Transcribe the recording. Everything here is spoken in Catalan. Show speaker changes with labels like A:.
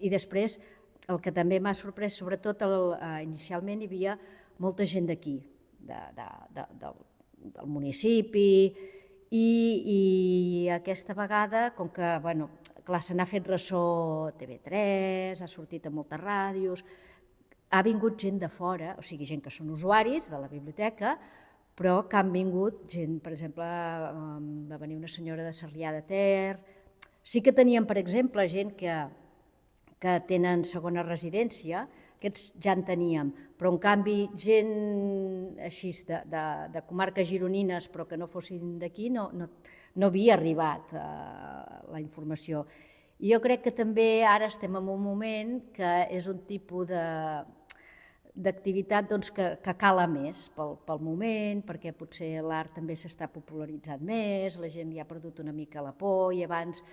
A: I després, el que també m'ha sorprès, sobretot inicialment hi havia molta gent d'aquí, del municipi, i aquesta vegada, com que, clar, se n'ha fet ressò TV3, ha sortit a moltes ràdios, ha vingut gent de fora, o sigui, gent que són usuaris de la biblioteca, però que han vingut gent, per exemple, va venir una senyora de Sarrià de Ter. Sí que teníem, per exemple, gent que tenen segona residència, aquests ja en teníem, però en canvi gent així de comarques gironines però que no fossin d'aquí no havia arribat la informació. I jo crec que també ara estem en un moment que és un tipus d'activitat que cala més pel moment, perquè potser l'art també s'està popularitzant més, la gent ja ha perdut una mica la por i abans